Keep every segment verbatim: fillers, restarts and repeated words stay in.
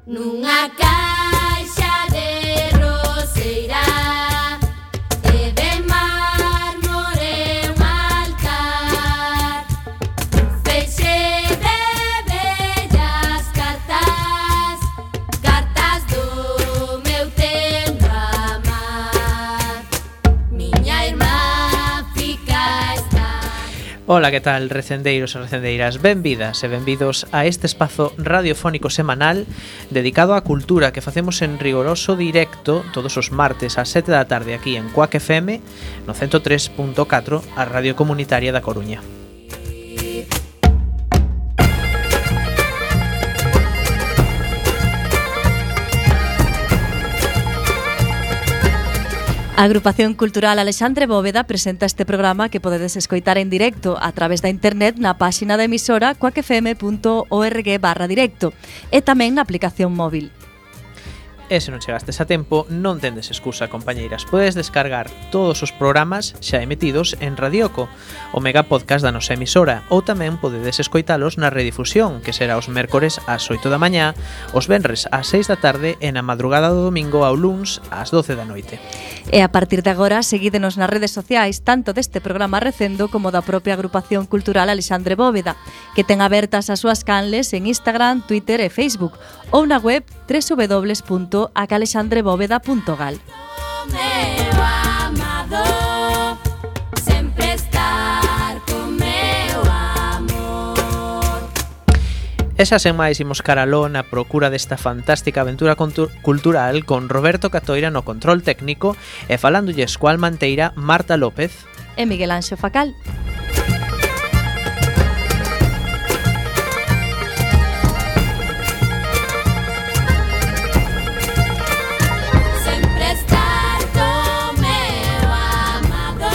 Nunha caixa de roseira e de mármore un altar, feixe de bellas cartas, cartas do meu tempo amar. Miña irmá fica está. Ola, que tal, recendeiros e recendeiras? Benvidas e benvidos a este espazo radiofónico semanal dedicado á cultura que facemos en rigoroso directo todos os martes ás sete da tarde aquí en Cuac F M no ciento tres punto catro, a radio comunitaria da Coruña. A Agrupación Cultural Alexandre Bóveda presenta este programa que podedes escoitar en directo a través da internet na páxina da emisora cuac f m punto org barra directo e tamén na aplicación móvil. E se non chegastes a tempo, non tendes excusa, compañeiras. Podes descargar todos os programas xa emitidos en Radioco, o mega podcast da nosa emisora, ou tamén podedes escoitalos na redifusión, que será os mércores ás oito da mañá, os venres ás seis da tarde e na madrugada do domingo ao luns ás doce da noite. E a partir de agora, seguídenos nas redes sociais tanto deste programa recendo como da propia Agrupación Cultural Alexandre Bóveda, que ten abertas as súas canles en Instagram, Twitter e Facebook, ou na web w w w punto acalexandrebóveda punto gal. Meu amado, sempre estar con meu amor. E xa sen máis imos caraló na procura desta fantástica aventura cultural con Roberto Catoira no control técnico e falándolles coa almanteira Marta López E Miguel Anxo Facal. Sempre estar con meu amado,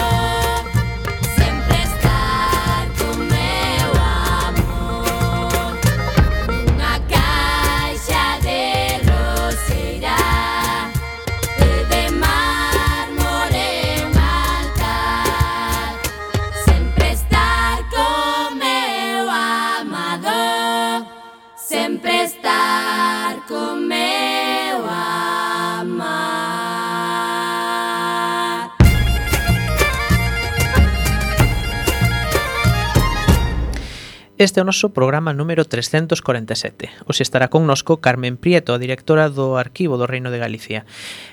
sempre estar con meu amor. Nunha caixa de roseira e de mármore un altar, sempre estar con meu amado, sempre estar con meu amar. Este é o noso programa número trescentos corenta e sete. Hoxe estará connosco Carmen Prieto, a directora do Arquivo do Reino de Galicia.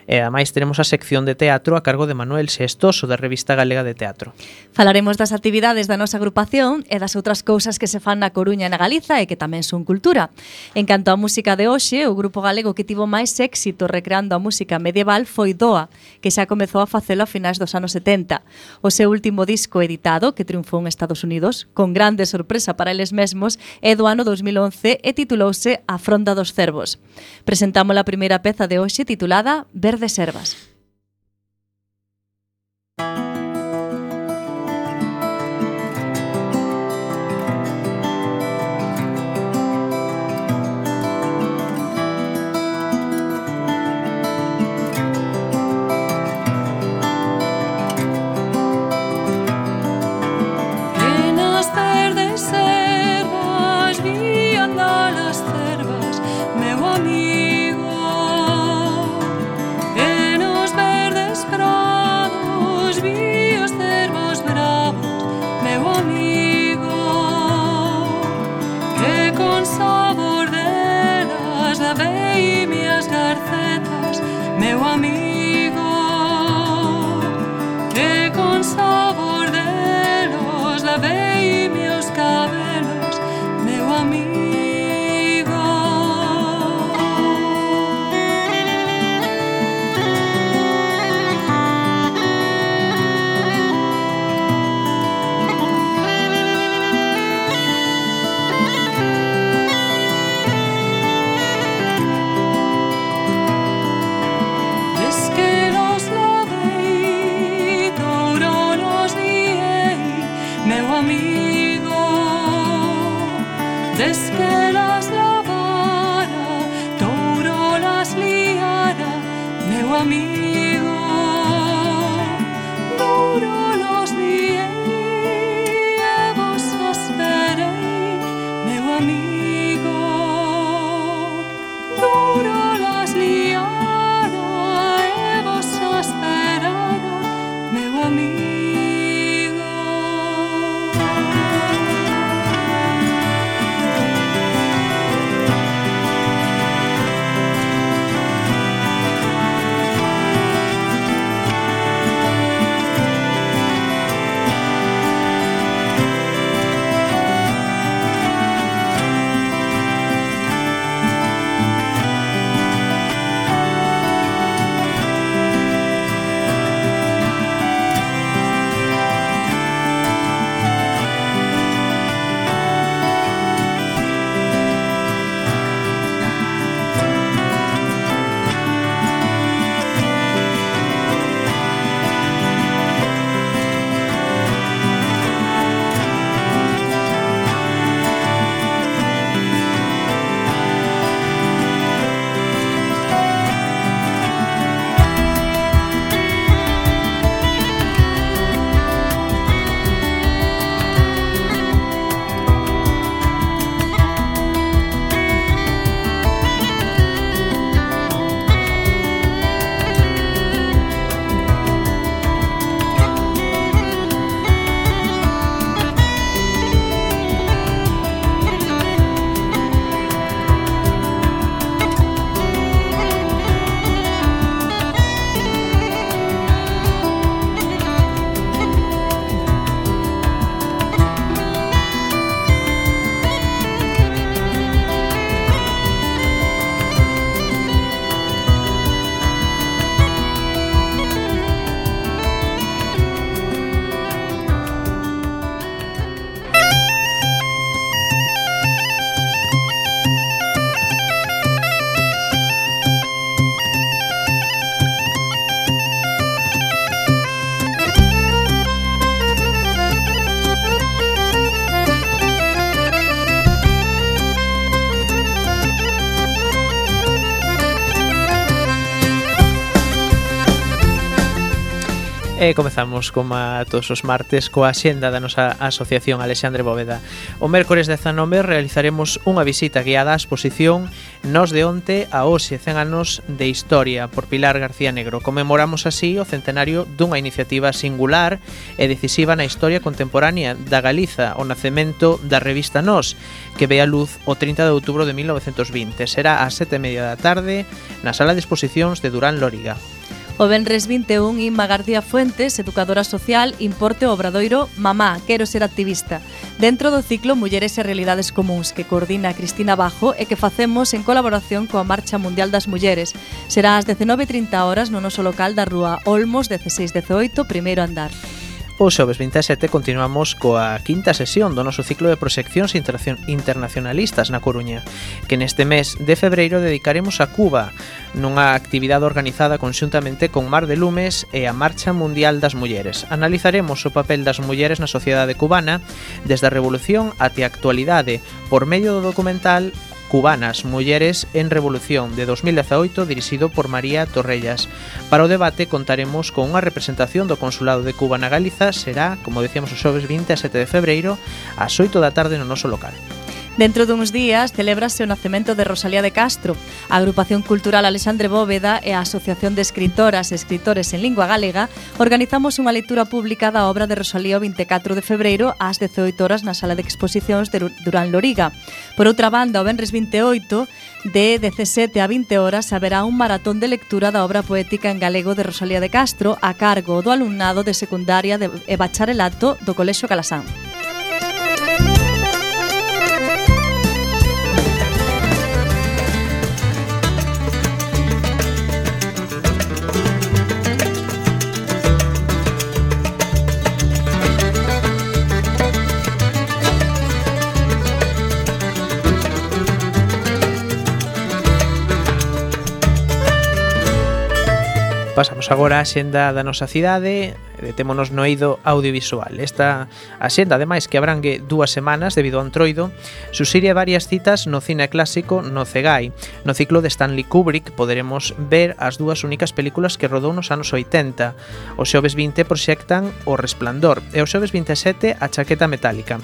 E ademais teremos a sección de teatro a cargo de Manuel Sestoso, da Revista Galega de Teatro. Falaremos das actividades da nosa agrupación e das outras cousas que se fan na Coruña e na Galiza e que tamén son cultura. En canto á música de hoxe, o grupo galego que tivo máis éxito recreando a música medieval foi Doa, que xa comezou a facelo a finais dos anos setenta. O seu último disco editado, que triunfou en Estados Unidos, con grande sorpresa para eles mesmos, é do ano dos mil once e titulouse A Fronda dos Cervos. Presentamos a primeira peza de hoxe titulada Verdes Servas. En as verdes servas vi andar as cervas, meu amigo. En os verdes prados vi os cervos bravos, meu amigo. Que con sabor delas lavei mias garcetas, meu amigo. Que con sabor delos lavei meus cabelos, meu amigo. Des que los lavei, touro los guiei, meu amigo. Des que las lavara, touro las liara, meu amigo. Touro los guiei e vos esperei, meu amigo. Touro E comezamos, como a todos os martes, coa axenda da nosa asociación Alexandre Bóveda. O mércores dezanove realizaremos unha visita guiada á exposición Nos de onte a hoxe, cen anos de historia, por Pilar García Negro. Conmemoramos así o centenario dunha iniciativa singular e decisiva na historia contemporánea da Galiza, o nacemento da revista Nós, que ve a luz o trinta de outubro de mil novecentos vinte. Será ás sete e media da tarde na sala de exposicións de Durán Lóriga. O venres vinte e un, Inma García Fuentes, educadora social, importe o obradoiro Mamá, quero ser activista, dentro do ciclo Mulleres e Realidades Comúns, que coordina Cristina Bajo e que facemos en colaboración coa Marcha Mundial das Mulleres. Será ás dezenove e trinta horas no noso local da Rúa Olmos, dezasseis dezoito, primeiro andar. O xoves vinte e sete continuamos coa quinta sesión do noso ciclo de proxeccións internacionalistas na Coruña, que neste mes de febreiro dedicaremos a Cuba, nunha actividade organizada conxuntamente con Mar de Lumes e a Marcha Mundial das Mulleres. Analizaremos o papel das mulleres na sociedade cubana desde a Revolución até a actualidade por medio do documental Cubanas, Mulleres en Revolución, de dos mil dezaoito, dirixido por María Torrellas. Para o debate contaremos con unha representación do Consulado de Cuba na Galiza. Será, como decíamos, o xoves vinte e sete de febreiro, ás oito da tarde no noso local. Dentro duns días celébrase o nacemento de Rosalía de Castro. A Agrupación Cultural Alexandre Bóveda e a Asociación de Escritoras e Escritores en Lingua Galega organizamos unha lectura pública da obra de Rosalía o vinte e catro de febreiro ás dezoito horas na sala de exposicións de Durán Lóriga. Por outra banda, o venres vinte e oito, de dezasete a vinte horas, haberá un maratón de lectura da obra poética en galego de Rosalía de Castro a cargo do alumnado de secundaria e bacharelato do Colexio Calasán. Pasamos agora á xenda da nosa cidade, detémonos no eido audiovisual. Esta axenda, ademais, que abrangue dúas semanas debido ao Entroido, suxire varias citas no cine clásico no Cegai. No ciclo de Stanley Kubrick poderemos ver as dúas únicas películas que rodou nos anos oitenta. O xoves vinte proxectan O Resplandor e o xoves vinte e sete A Chaqueta Metálica.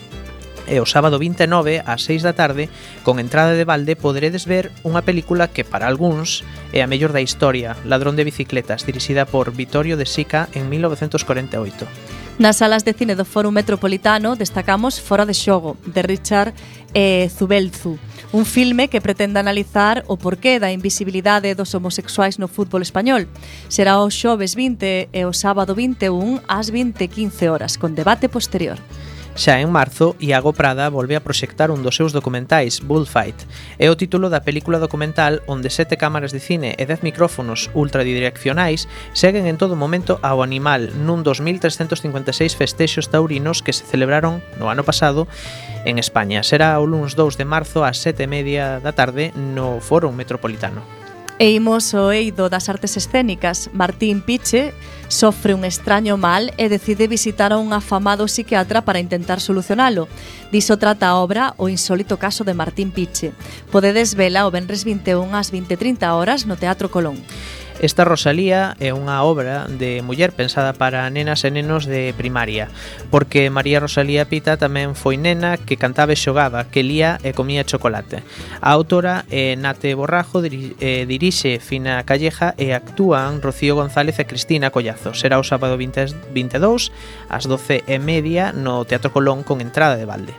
E o sábado vinte e nove, ás seis da tarde, con entrada de balde, poderedes ver unha película que para algúns é a mellor da historia, Ladrón de bicicletas, dirixida por Vittorio De Sica en mil novecentos corenta e oito. Nas salas de cine do Fórum Metropolitano destacamos Fora de xogo, de Richard eh, Zubelzu, un filme que pretende analizar o porqué da invisibilidade dos homosexuais no fútbol español. Será o xoves vinte e o sábado vinte e un ás vinte e quince horas, con debate posterior. Xa en marzo, Iago Prada volve a proxectar un dos seus documentais, Bullfight. É o título da película documental onde sete cámaras de cine e dez micrófonos ultradireccionais seguen en todo momento ao animal nun dos mil trescentos cincuenta e seis festexos taurinos que se celebraron no ano pasado en España. Será o luns dous de marzo ás sete e media da tarde no Fórum Metropolitano. E imos ao eido das artes escénicas. Martín Piche sofre un extraño mal e decide visitar a un afamado psiquiatra para intentar solucionalo. Diso trata a obra O insólito caso de Martín Piche. Podedes vela o venres vinte e un ás vinte e trinta horas no Teatro Colón. Esta Rosalía é unha obra de muller pensada para nenas e nenos de primaria, porque María Rosalía Pita tamén foi nena que cantaba e xogaba, que lía e comía chocolate. A autora é Nate Borrajo, diri, eh, dirixe Fina Calleja e actúan Rocío González e Cristina Collazo. Será o sábado vinte e dous ás doce e media no Teatro Colón con entrada de balde.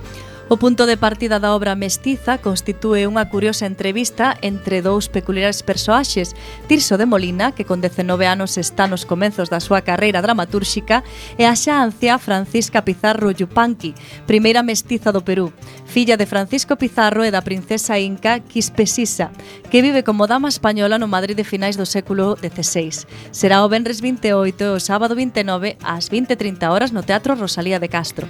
O punto de partida da obra Mestiza constitúe unha curiosa entrevista entre dous peculiares persoaxes, Tirso de Molina, que con dezenove anos está nos comenzos da súa carreira dramatúrxica, e a xa anciá Francisca Pizarro Yupanqui, primeira mestiza do Perú, filla de Francisco Pizarro e da princesa inca Quispesisa, que vive como dama española no Madrid de finais do século dezasseis. Será o venres vinte e oito e o sábado vinte e nove ás vinte e trinta horas no Teatro Rosalía de Castro.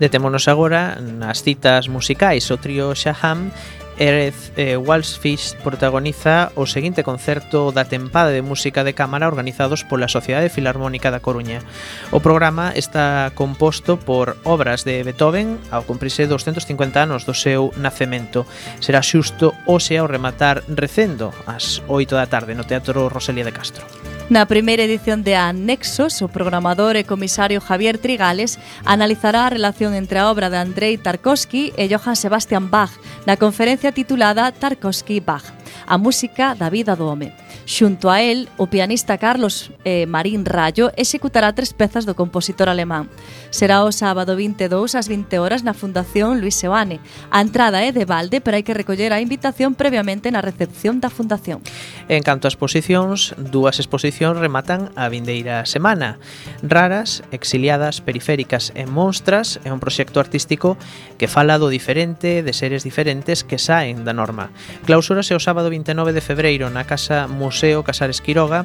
Detémonos agora nas citas musicais. O trío Shaham Erez eh, Walsfish protagoniza o seguinte concerto da tempada de música de cámara organizados pola Sociedade Filarmónica da Coruña. O programa está composto por obras de Beethoven ao cumprirse doscentos cincuenta anos do seu nacemento. Será xusto hoxe ao rematar recendo ás oito da tarde no Teatro Rosalía de Castro. Na primeira edición de Anexos, o programador e comisario Javier Trigales analizará a relación entre a obra de Andrei Tarkovsky e Johann Sebastian Bach na conferencia titulada Tarkovsky-Bach, a música da vida do home. Xunto a él, o pianista Carlos eh, Marín Rayo executará tres pezas do compositor alemán. Será o sábado vinte e dous ás vinte horas na Fundación Luis Seoane. A entrada é de balde, pero hai que recoller a invitación previamente na recepción da Fundación. En canto ás exposicións, dúas exposicións rematan a vindeira semana. Raras, exiliadas, periféricas e monstras é un proxecto artístico que fala do diferente, de seres diferentes que saen da norma. Clausúrase o sábado vinte e nove de febreiro na Casa Museo Casares Quiroga.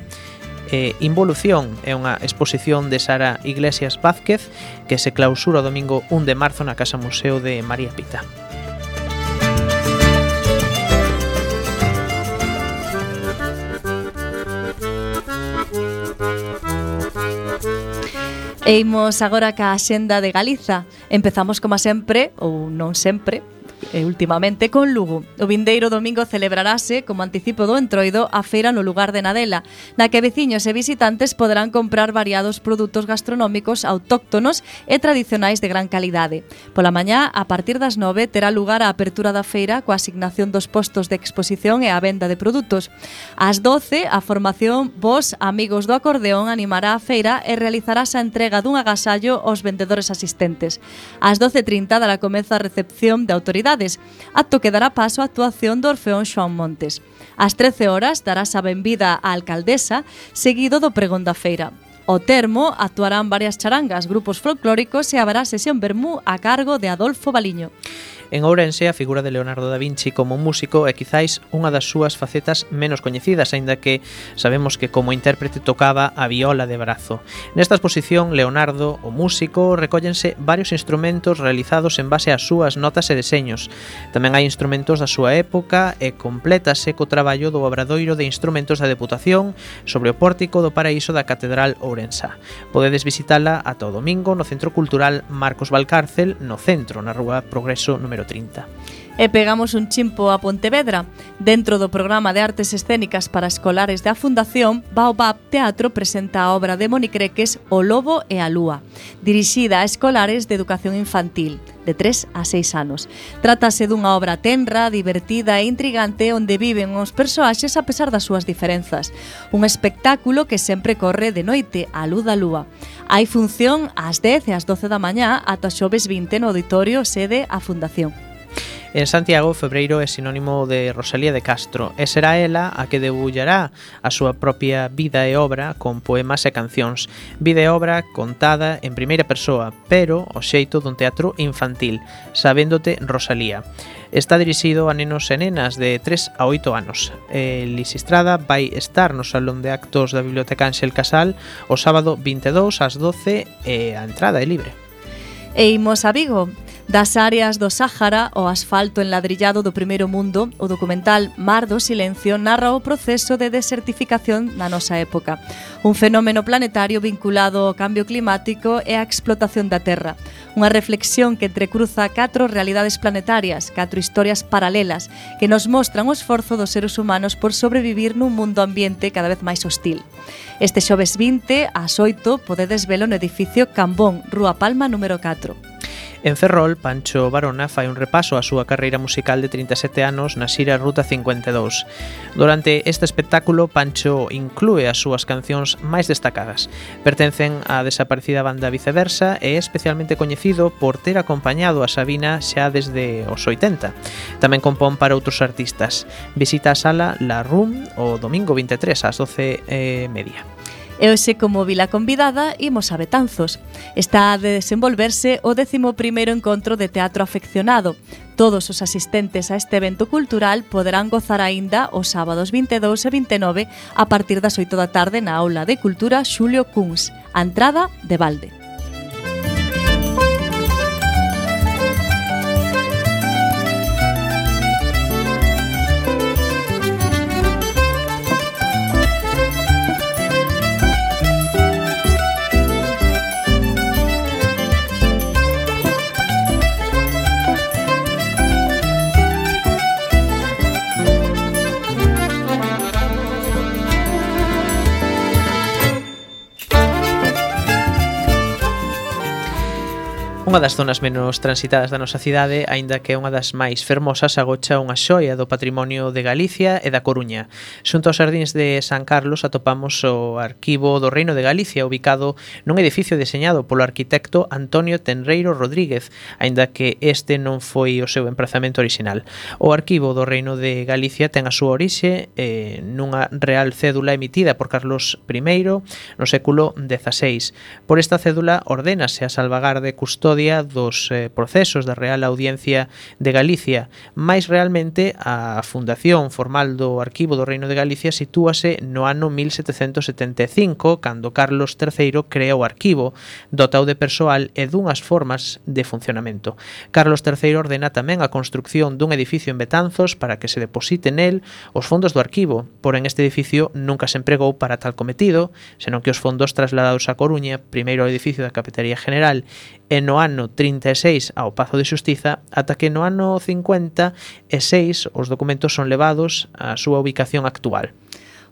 Eh, Involución é unha exposición de Sara Iglesias Vázquez que se clausura o domingo un de marzo na Casa Museo de María Pita. E imos agora ca Axenda de Galiza. Empezamos, como sempre, ou non sempre, e últimamente con Lugo. O vindeiro domingo celebrarase, como anticipo do Entroido, a feira no lugar de Nadela, na que veciños e visitantes poderán comprar variados produtos gastronómicos autóctonos e tradicionais de gran calidade. Pola mañá, a partir das nove, terá lugar a apertura da feira coa asignación dos postos de exposición e a venda de produtos. Ás doce, a formación Vos Amigos do Acordeón animará a feira e realizarás a entrega dun agasallo aos vendedores asistentes. Ás doce e trinta dará comezo a recepción de autoridades, acto que dará paso á actuación do Orfeón Xoán Montes. Ás trece horas darás a benvida á alcaldesa, seguido do pregón da feira. Ao termo, actuarán varias charangas, grupos folclóricos e haberá sesión vermú a cargo de Adolfo Baliño. En Ourense, a figura de Leonardo da Vinci como músico é quizáis unha das súas facetas menos coñecidas, aínda que sabemos que como intérprete tocaba a viola de brazo. Nesta exposición, Leonardo, o músico, recóllense varios instrumentos realizados en base ás súas notas e deseños. Tamén hai instrumentos da súa época e complétase co traballo do obradoiro de instrumentos da Deputación sobre o pórtico do Paraíso da Catedral Ourensa. Podedes visitala ata o domingo no Centro Cultural Marcos Valcárcel, no centro, na Rúa Progreso número trinta. E pegamos un chimpo a Pontevedra. Dentro do programa de artes escénicas para escolares da Fundación, Baobab Teatro presenta a obra de Moni Creques O Lobo e a Lúa, dirixida a escolares de educación infantil, de tres a seis anos. Trátase dunha obra tenra, divertida e intrigante onde viven os persoaxes a pesar das súas diferenzas. Un espectáculo que sempre corre de noite, á luz da lúa. Hai función ás dez e ás doce da mañá ata xoves vinte no auditorio sede a Fundación. En Santiago, febreiro é sinónimo de Rosalía de Castro e será ela a que debullará a súa propia vida e obra con poemas e cancións. Vida e obra contada en primeira persoa, pero ao xeito dun teatro infantil, Sabéndote Rosalía. Está dirixido a nenos e nenas de tres a oito anos. Lisistrada vai estar no Salón de Actos da Biblioteca Ángel Casal o sábado vinte e dous ás doce e a entrada é libre. E imos a Vigo. Das áreas do Sáhara ao asfalto enladrillado do primeiro mundo, o documental Mar do Silencio narra o proceso de desertificación na nosa época, un fenómeno planetario vinculado ao cambio climático e á explotación da terra. Unha reflexión que entrecruza catro realidades planetarias, catro historias paralelas, que nos mostran o esforzo dos seres humanos por sobrevivir nun mundo ambiente cada vez máis hostil. Este xoves vinte, ás oito, podedes velo no edificio Cambón, Rúa Palma número catro. En Ferrol, Pancho Barona fai un repaso á súa carreira musical de trinta e sete anos na xira Ruta cincuenta e dous. Durante este espectáculo, Pancho inclúe as súas cancións máis destacadas. Pertencen á desaparecida banda Viceversa e é especialmente coñecido por ter acompañado a Sabina xa desde os oitenta. Tamén compón para outros artistas. Visita a sala La Room o domingo vinte e tres ás doce e media. E hoxe, como vila convidada, imos a Betanzos. Está a desenvolverse o décimo primeiro encontro de teatro afeccionado. Todos os asistentes a este evento cultural poderán gozar aínda os sábados vinte e dous e vinte e nove a partir das oito da tarde na Aula de Cultura Xulio Kunz. A entrada de balde. Nunha das zonas menos transitadas da nosa cidade, aínda que é unha das máis fermosas, agocha unha xoia do patrimonio de Galicia e da Coruña. Xunto aos xardíns de San Carlos atopamos o Arquivo do Reino de Galicia, ubicado nun edificio deseñado polo arquitecto Antonio Tenreiro Rodríguez, aínda que este non foi o seu emprazamento orixinal. O Arquivo do Reino de Galicia ten a súa orixe eh, nunha real cédula emitida por Carlos primeiro no século dezaseis. Por esta cédula ordénase a salvagarde custodia dos eh, procesos da Real Audiencia de Galicia. Mais realmente, a fundación formal do Arquivo do Reino de Galicia sitúase no ano mil setecentos setenta e cinco, cando Carlos terceiro crea o arquivo, dotado de persoal e dunhas formas de funcionamento. Carlos terceiro ordena tamén a construcción dun edificio en Betanzos para que se deposite nel os fondos do arquivo, porén este edificio nunca se empregou para tal cometido, senón que os fondos trasladados a Coruña, primeiro ao edificio da Capitaría General e no ano trinta e seis ao Pazo de Xustiza, ata que no ano cincuenta e seis os documentos son levados á súa ubicación actual.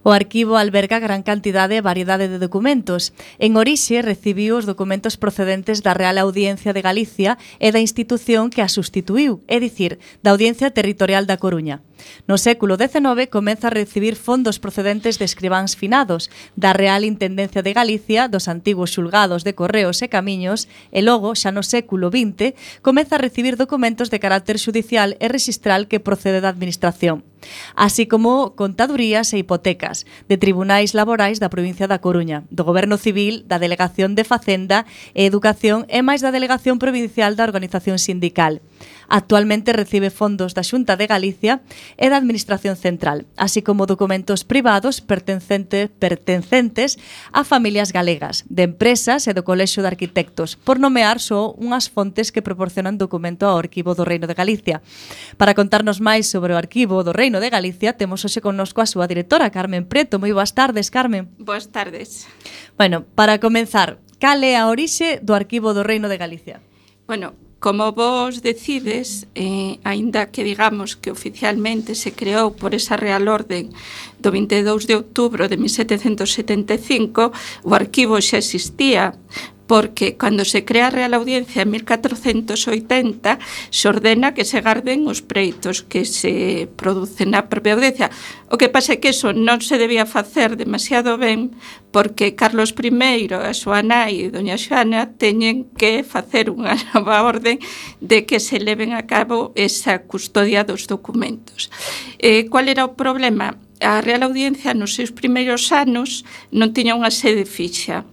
O arquivo alberga gran cantidade e variedade de documentos. En orixe recibiu os documentos procedentes da Real Audiencia de Galicia e da institución que a sustituiu, é dicir, da Audiencia Territorial da Coruña. No século dezenove comeza a recibir fondos procedentes de escribáns finados, da Real Intendencia de Galicia, dos antigos xulgados de Correos e Camiños, e logo, xa no século vinte, comeza a recibir documentos de carácter xudicial e rexistral que procede da Administración, así como contadurías e hipotecas, de tribunais laborais da provincia da Coruña, do Goberno Civil, da Delegación de Facenda e Educación e máis da Delegación Provincial da Organización Sindical. Actualmente recibe fondos da Xunta de Galicia e da Administración Central, así como documentos privados pertencente, pertencentes a familias galegas, de empresas e do Colexio de Arquitectos, por nomear só unhas fontes que proporcionan documento ao Arquivo do Reino de Galicia. Para contarnos máis sobre o Arquivo do Reino de Galicia, temos hoxe connosco a súa directora, Carmen Preto. Moi boas tardes, Carmen. Boas tardes. Bueno, para comenzar, cal é a orixe do Arquivo do Reino de Galicia? Bueno, como vos decides, eh, aínda que digamos que oficialmente se creou por esa Real Orden do vinte e dous de outubro de mil setecentos setenta e cinco, o arquivo xa existía, porque cando se crea a Real Audiencia en mil catrocentos oitenta se ordena que se garden os preitos que se producen na propia audiencia. O que pasa é que eso non se debía facer demasiado ben, porque Carlos primeiro e a súa nai, doña Xoana, teñen que facer unha nova orden de que se leven a cabo esa custodia dos documentos. Eh, cual era o problema? A Real Audiencia nos seus primeiros anos non tiña unha sede fixa.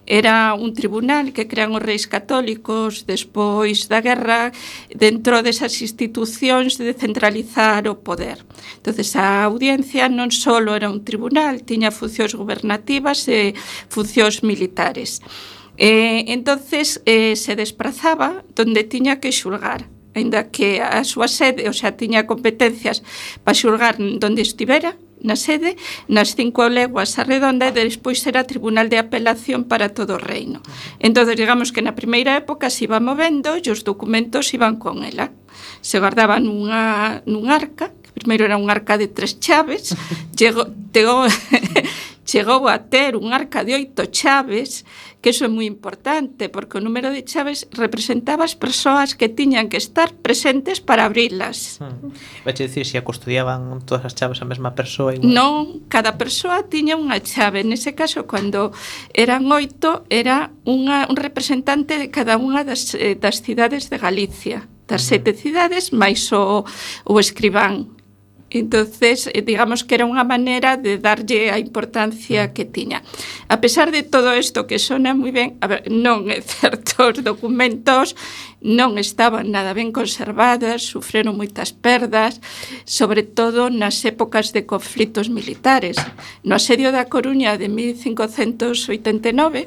Era un tribunal que crean os reis católicos despois da guerra dentro desas institucións de centralizar o poder. Entonces a audiencia non só era un tribunal, tiña funcións gobernativas e funcións militares. Eh, entonces eh, se desprazaba donde tiña que xulgar, aínda que a súa sede, o sea, tiña competencias para xulgar donde estivera, na sede, nas cinco leguas a redonda, e despois era tribunal de apelación para todo o reino. Entón, digamos que na primeira época se iba movendo e os documentos iban con ela. Se guardaban nunha, nun arca, que primeiro era un arca de tres chaves, chegou, chegou, chegou a ter un arca de oito chaves, que iso é moi importante, porque o número de chaves representaba as persoas que tiñan que estar presentes para abrilas. Hmm. Vache dicir, se a custodiaban todas as chaves a mesma persoa igual? Non, cada persoa tiña unha chave. Nese caso, cando eran oito, era unha, un representante de cada unha das, eh, das cidades de Galicia, das sete cidades, máis o, o escribán. Entonces, digamos que era unha maneira de darlle a importancia que tiña. A pesar de todo isto que sona moi ben, a ver, non é certo, os documentos non estaban nada ben conservadas, sufreron moitas perdas, sobre todo nas épocas de conflitos militares. No asedio da Coruña de mil cincocentos oitenta e nove,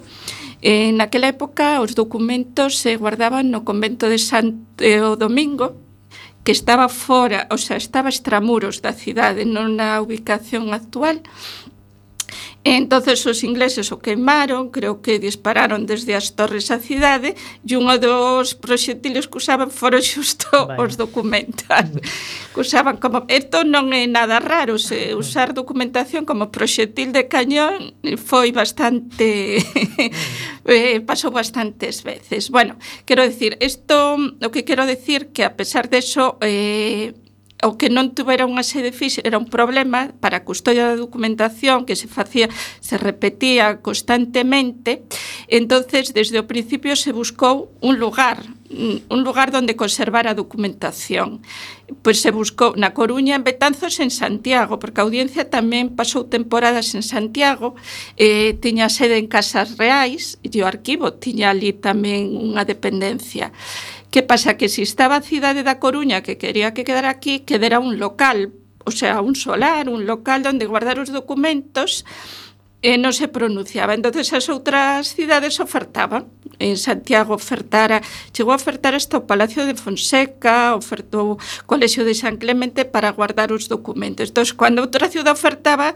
en aquela época os documentos se guardaban no convento de Santo Domingo, que estaba fora, o sea, estaba extramuros da cidade, non na ubicación actual, Entonces os ingleses o queimaron, creo que dispararon desde as torres á cidade, e un dos proxectiles que usaban foron xusto Vaya. os documentos. Que usaban como... Isto non é nada raro, se usar documentación como proxectil de cañón foi bastante... eh, pasou bastantes veces. Bueno, quero decir, isto, o que quero decir que a pesar de eso... Eh, o que non tuvera unha sede física era un problema para a custodia da documentación que se facía, se repetía constantemente. Entonces, desde o principio se buscou un lugar, un lugar onde conservar a documentación. Pois se buscou na Coruña, en Betanzos, en Santiago, porque a audiencia tamén pasou temporadas en Santiago, eh, tiña sede en Casas Reais e o arquivo tiña ali tamén unha dependencia. Que pasa? Que se estaba a cidade da Coruña que quería que quedara aquí, quedara un local, o sea, un solar, un local onde guardar os documentos, e non se pronunciaba. Entonces as outras cidades ofertaban. En Santiago ofertara, chegou a ofertar hasta o Palacio de Fonseca, ofertou o Colexio de San Clemente para guardar os documentos. Entonces, cando outra cidade ofertaba,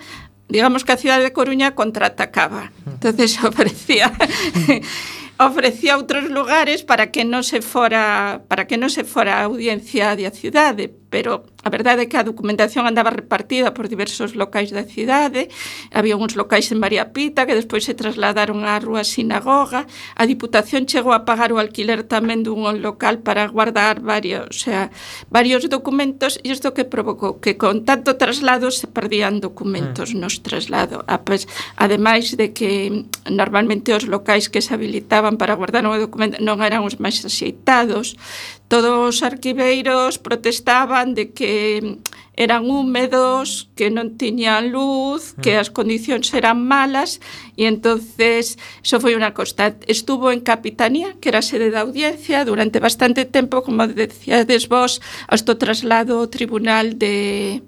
digamos que a cidade de Coruña contraatacaba. Entonces ofrecía ofrecía outros lugares para que non se fora para que non se fora a audiencia da cidade, pero a verdade é que a documentación andaba repartida por diversos locais da cidade. Había uns locais en María Pita que despois se trasladaron á Rúa Sinagoga. A Diputación chegou a pagar o alquiler tamén dun local para guardar varios, o sea, varios documentos, e isto que provocou que con tanto traslado se perdían documentos nos traslado. Ademais de que normalmente os locais que se habilitaban para guardar un documento non eran os máis axeitados. Todos os arquiveiros protestaban de que eran húmedos, que non tiñan luz, que as condicións eran malas, e entonces iso foi unha constante. Estuvo en Capitanía, que era a sede da audiencia, durante bastante tempo, como decíades vos, hasta o traslado ao tribunal de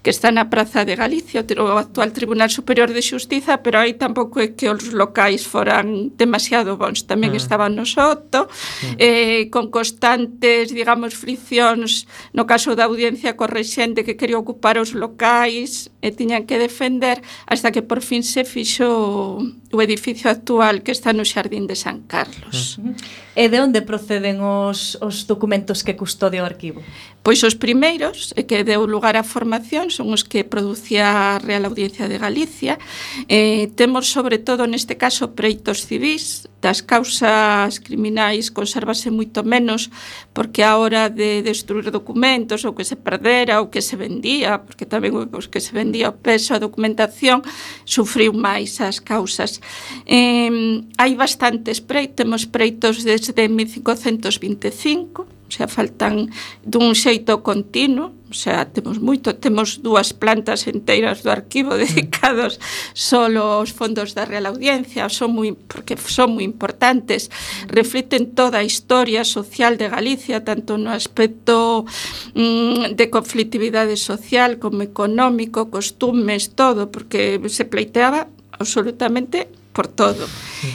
que está na Praza de Galicia, o actual Tribunal Superior de Xustiza, pero aí tampouco é que os locais foran demasiado bons. Tamén mm. estaban no Soto, mm. eh, con constantes, digamos, friccións, no caso da audiencia, co rexente que quería ocupar os locais e tiñan que defender, hasta que por fin se fixo o edificio actual que está no Xardín de San Carlos. Uh-huh. E de onde proceden os, os documentos que custodia o arquivo? Pois os primeiros, e que deu lugar á formación, son os que producía a Real Audiencia de Galicia. Eh, temos, sobre todo, neste caso, preitos civís. Das causas criminais consérvase moito menos, porque a hora de destruir documentos, ou que se perdera, ou que se vendía, porque tamén os que se vendía o peso, a documentación, sufriu máis as causas. Eh, hai bastantes preitos, temos preitos desde mil cincocentos vinte e cinco, o sea, faltan dun xeito continuo, o sea, temos moito, temos dúas plantas enteiras do arquivo dedicados solo aos fondos da Real Audiencia, son moi, porque son moi importantes, refliten toda a historia social de Galicia, tanto no aspecto mm, de conflictividade social como económico, costumes, todo, porque se pleiteaba absolutamente por todo.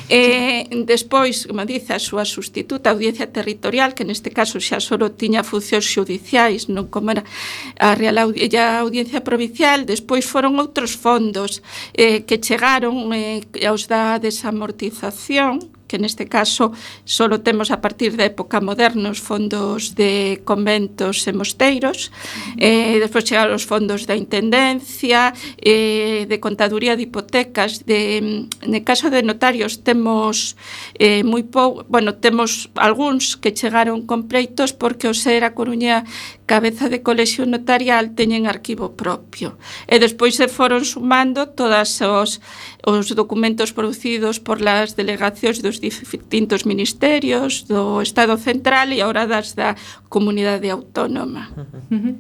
Eh, despois, como dice, a súa sustituta, a audiencia territorial, que neste caso xa só tiña funcións xudiciais, non como era a Real Audiencia, a Audiencia Provincial. Despois foron outros fondos eh, que chegaron eh, aos da desamortización, que neste caso solo temos a partir da época moderna os fondos de conventos e mosteiros, eh, despois chegaron os fondos da intendencia, eh, de contaduría de hipotecas, de, no caso de notarios temos eh, moi pou, bueno, temos algúns que chegaron con pleitos porque o ser a Coruña cabeza de colexio notarial teñen arquivo propio, e despois se foron sumando todos os, os documentos producidos por las delegacións dos distintos ministerios do Estado Central e agora das da Comunidade Autónoma. Uh-huh.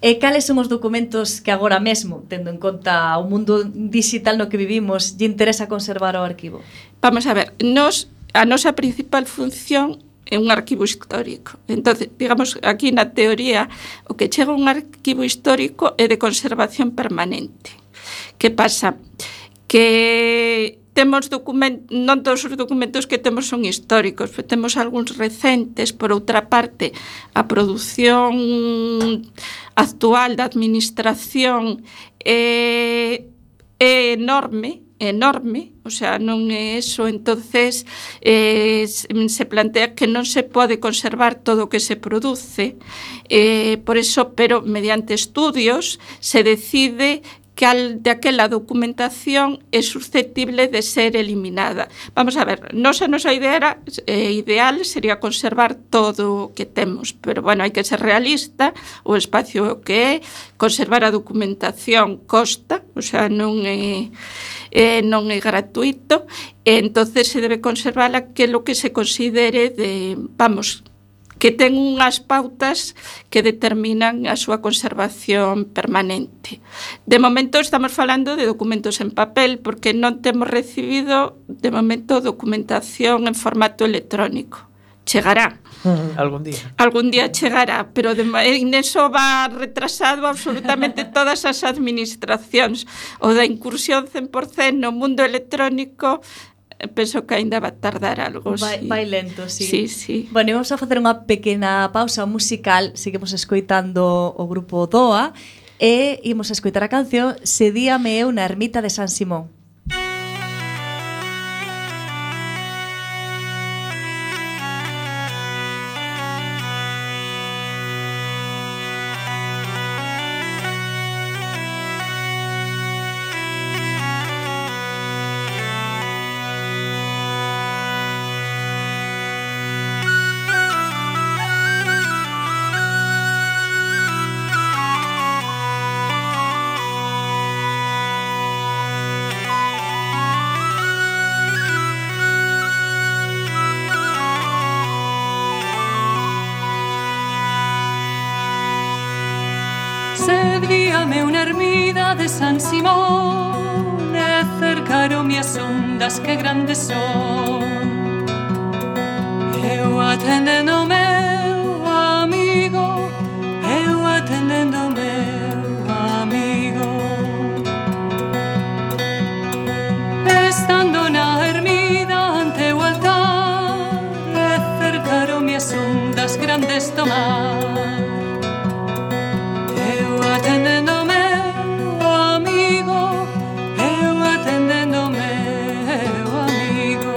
E cales son os documentos que agora mesmo, tendo en conta o mundo digital no que vivimos, lle interesa conservar o arquivo? Vamos a ver, nos, a nosa principal función é un arquivo histórico. Entonces, digamos, aquí na teoría, o que chega a un arquivo histórico é de conservación permanente. Que pasa? Que temos documentos, non todos os documentos que temos son históricos, pero temos algúns recentes. Por outra parte, a produción actual da administración é é enorme, enorme, o sea, non é eso, entonces eh, se plantea que non se pode conservar todo o que se produce, eh, por eso, pero mediante estudios se decide cal de aquela documentación é susceptible de ser eliminada. Vamos a ver, nos a nosa idea era, eh, ideal sería conservar todo o que temos, pero bueno, hai que ser realista, o espacio que é, conservar a documentación costa, o sea, non é, eh, non é gratuito, e entonces se debe conservar aquilo que se considere de, vamos, que ten unhas pautas que determinan a súa conservación permanente. De momento estamos falando de documentos en papel porque non temos recibido de momento documentación en formato electrónico. Chegará. Uh-huh. Algún día. Algún día chegará, pero de, en eso va retrasado absolutamente todas as administracións. O da incursión cen por cento no mundo electrónico penso que ainda va tardar algo. Vai, sí. vai lento, sí. Sí, sí. Bueno, vamos a facer unha pequena pausa musical. Seguimos escoitando o grupo Doa e imos a escoitar a canción Sedíame eu na ermita de San Simón. Sedíame unha ermida de San Simón e cercaronme as ondas que grandes son. Eu atendendo o meu amigo, eu atendendo o meu amigo. Estando na ermida ante o altar e cercaronme as ondas grandes do mar. Atendendo o meu amigo, eu atendendo o meu amigo.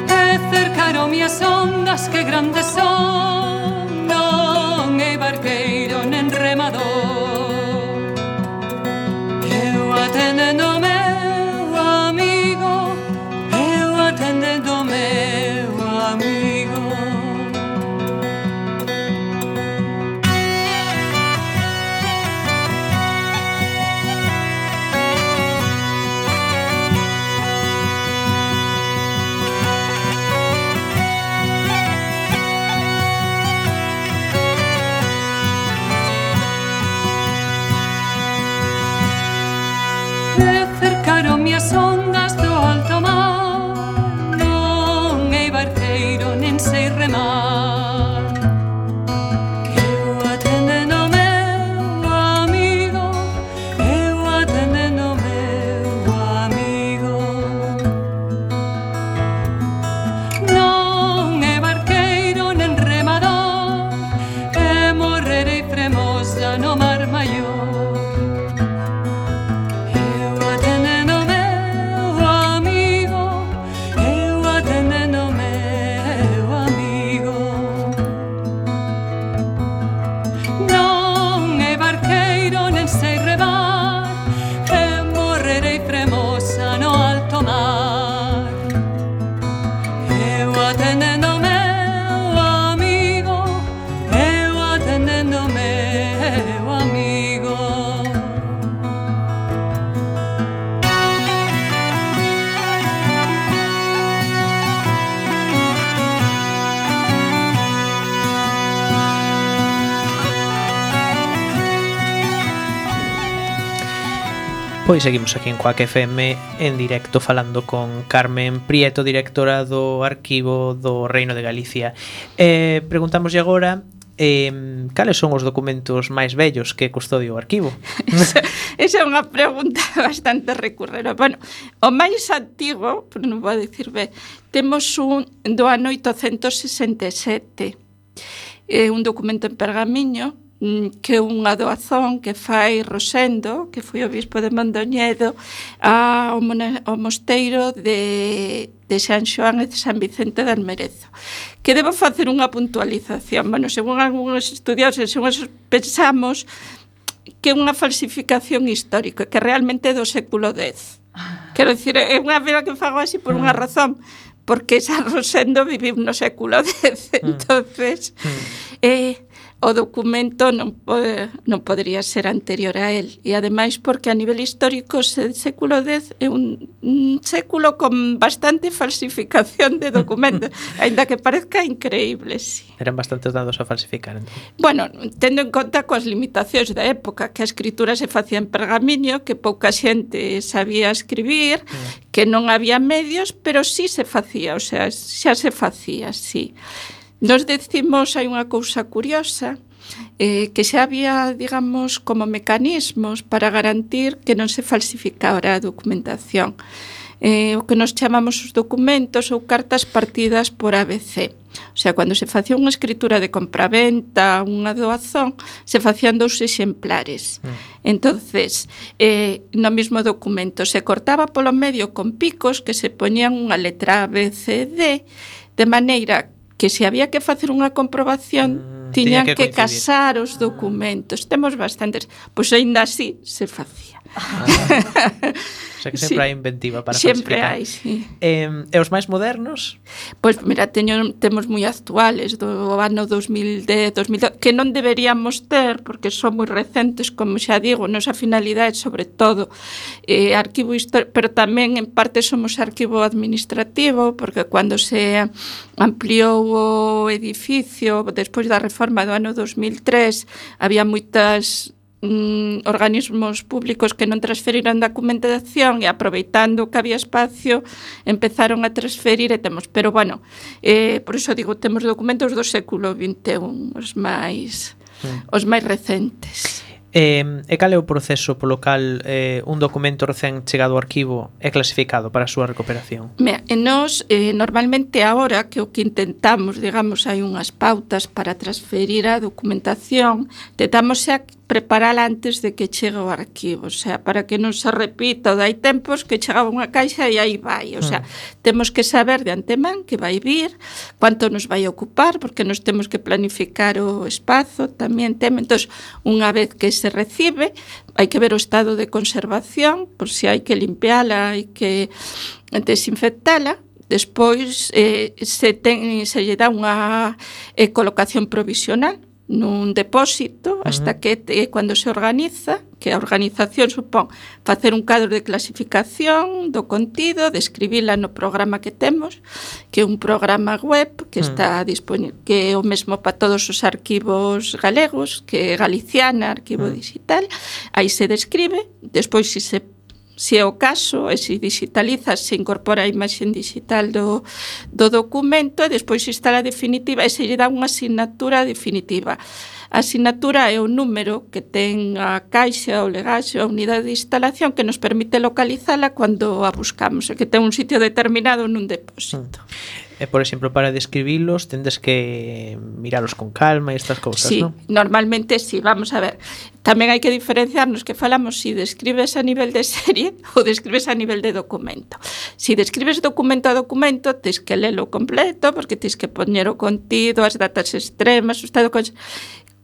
E cercaronme as ondas que grandes son, non é barqueiro nen remador. Eu atendendo o meu amigo, eu atendendo o meu amigo. As ondas do alto mar, non é barqueiro nen sei remar. Eu atendendo o meu amigo, eu atendendo o meu amigo. Non é barqueiro nen remador, e morrerei fremosa no mar maior. Pois seguimos aquí en Quack F M en directo falando con Carmen Prieto, directora do Arquivo do Reino de Galicia. Eh, preguntámoslle agora eh, cales son os documentos máis vellos que custodia o arquivo? Esa, esa é unha pregunta bastante recurrente. Bueno, o máis antigo, pero non vou dicir ben, temos un do ano oitocentos sesenta e sete. É un documento en pergamiño que unha doazón que fai Rosendo, que foi o bispo de Mondoñedo, ao, mona, ao mosteiro de, de San Xoán e de San Vicente de Almerezo. Que debo facer unha puntualización. Bueno, según algúns estudiosos, según pensamos que é unha falsificación histórica, que realmente é do século dez. Quero dicir, é unha vela que fago así por unha razón, porque San Rosendo viviu no século dez, entonces eh, o documento non, pode, non podría ser anterior a él, e ademais porque a nivel histórico o século dez é un, un século con bastante falsificación de documentos, aínda que parezca increíble, sí. Eran bastantes dados a falsificar, entón. Bueno, tendo en conta coas limitacións da época, que a escritura se facía en pergamiño, que pouca xente sabía escribir, mm. que non había medios, pero sí se facía, o sea, xa se facía, sí. Nos decimos, hai unha cousa curiosa, eh, que xa había, digamos, como mecanismos para garantir que non se falsificara a documentación. Eh, o que nos chamamos os documentos ou cartas partidas por A B C. O sea, cando se facía unha escritura de compraventa, unha doazón, se facían dous exemplares. Mm. Entonces, eh, no mismo documento se cortaba polo medio con picos que se poñían unha letra A, B, C, D, de maneira que se había que facer unha comprobación, mm, tiñan que, que casar os documentos. Temos bastantes, pois aínda así se facía. Ah. O sea que sempre sí. hai inventiva para sempre falsificar. Hai, sí. Eh, e os máis modernos? Pois, mira, teño, temos moi actuales do ano dos mil dez, dos mil doce, que non deberíamos ter, porque son moi recentes, como xa digo, nosa finalidade sobre todo eh, arquivo histórico, pero tamén en parte somos arquivo administrativo, porque cando se ampliou o edificio, despois da reforma do ano dos mil tres, había moitas organismos públicos que non transferiran documentación e aproveitando que había espacio empezaron a transferir e temos, pero bueno, eh, por iso digo, temos documentos do século vinte e un, os máis mm. os máis recentes. Eh, e cal é o proceso polo cal eh, un documento recén chegado ao arquivo é clasificado para a súa recuperación? Mira, e nos, eh, normalmente agora que o que intentamos, digamos, hai unhas pautas para transferir a documentación, tentamos xa preparala antes de que chegue ao arquivo, o sea, para que non se repita, hai tempos que chegaba unha caixa e aí vai, o sea, mm. temos que saber de antemán que vai vir, cuánto nos vai ocupar, porque nos temos que planificar o espazo, tamén temos, entón, unha vez que se recibe, hai que ver o estado de conservación, por si hai que limpiala, hai que desinfectala. Despois eh, se, ten, se lle dá unha eh, colocación provisional nun depósito hasta que eh, cando se organiza, que a organización supón facer un cadro de clasificación do contido, describila no programa que temos, que é un programa web que está disponible, que é o mesmo para todos os arquivos galegos, que é Galiciana, arquivo digital, aí se describe, despois se se se é o caso, e se digitaliza, se incorpora a imaxe digital do, do documento, e despois se instala definitiva e se lle dá unha asignatura definitiva. A asignatura é o número que ten a caixa, o legaxo, a unidade de instalación que nos permite localizala cando a buscamos, e que ten un sitio determinado nun depósito. E, por exemplo, para describilos tendes que miralos con calma e estas cousas, sí, non? Sí, normalmente sí, vamos a ver. Tamén hai que diferenciarnos que falamos si describes a nivel de serie ou describes a nivel de documento. Si describes documento a documento, tens que lelo completo, porque tens que poñer o contido, as datas extremas, o estado... Con...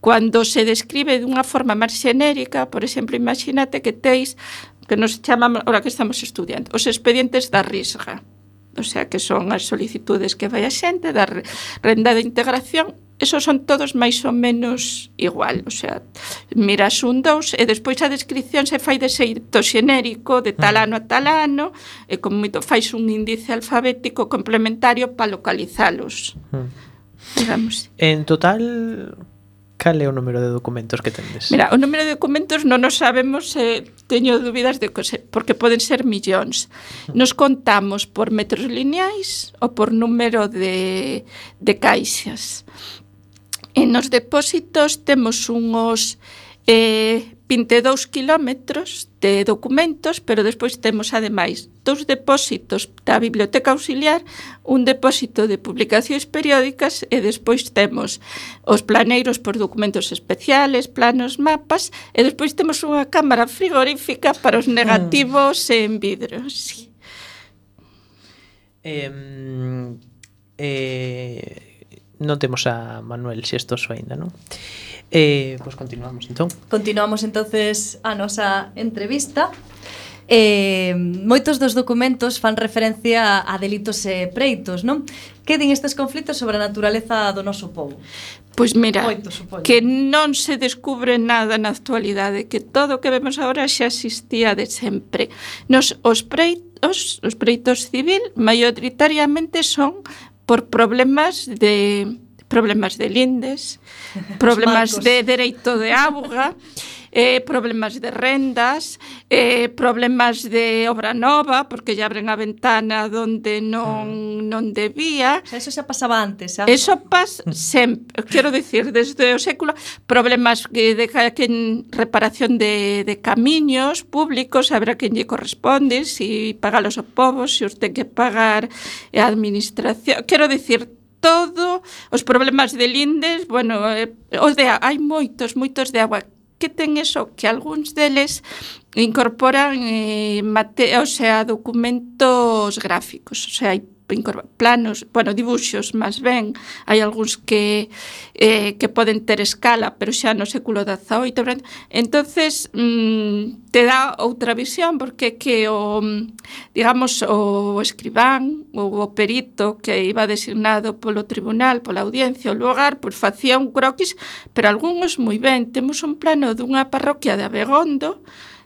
Cando se describe dunha forma máis xenérica, por exemplo, imagínate que teis, que nos chamamos, ahora que estamos estudiando, os expedientes da risga. O sea, que son as solicitudes que vai a xente da renda de integración, esos son todos máis ou menos igual, o sea, miras un dous e despois a descripción se fai de xeito xenérico, de tal ano a tal ano, e como moito fais un índice alfabético complementario para localizalos. Hmm. Digamos. En total, cal é o número de documentos que tendes? Mira, o número de documentos non nos sabemos, eh, teño dúbidas de que se, porque poden ser millóns. Nos contamos por metros lineais ou por número de, de caixas. En os depósitos temos unhos eh, vinte e dous kilómetros de documentos, pero despois temos ademais dous depósitos da Biblioteca Auxiliar, un depósito de publicacións periódicas e despois temos os planeiros por documentos especiales, planos, mapas e despois temos unha cámara frigorífica para os negativos mm. en vidro. Sí. Eh, eh, non temos a Manuel Xestoso aínda, non? Eh, pois pues continuamos, entón. Continuamos entonces a nosa entrevista. Eh, moitos dos documentos fan referencia a delitos e preitos, non? Que din estes conflitos sobre a naturaleza do noso povo? Pois mira, Moitos, que non se descubre nada na actualidade, que todo o que vemos agora xa existía de sempre. Nos, os preitos, os preitos civil, maioritariamente son por problemas de problemas de lindes, problemas de dereito de auga, eh, problemas de rendas, eh, problemas de obra nova, porque lle abren a ventana donde non, non debía. O sea, eso xa pasaba antes, xa? Eso pasa sempre, quero dicir, desde o século, problemas de, de, de reparación de, de camiños públicos, habrá quen lle corresponde, si pagalos o povo, si os ten que pagar a administración, quero dicir, todo, os problemas de lindes, bueno, eh, os de hai moitos, moitos de agua. Que ten eso? Que algúns deles incorporan eh, mate, o sea, documentos gráficos, o sea, hai planos, bueno, dibuxos, máis ben, hai algúns que eh, que poden ter escala, pero xa no século dezaoito, entonces mm, te dá outra visión, porque que o, digamos, o escribán ou o perito que iba designado polo tribunal, pola audiencia, o lugar, pois facía un croquis, pero algúns moi ben. Temos un plano dunha parroquia de Abegondo,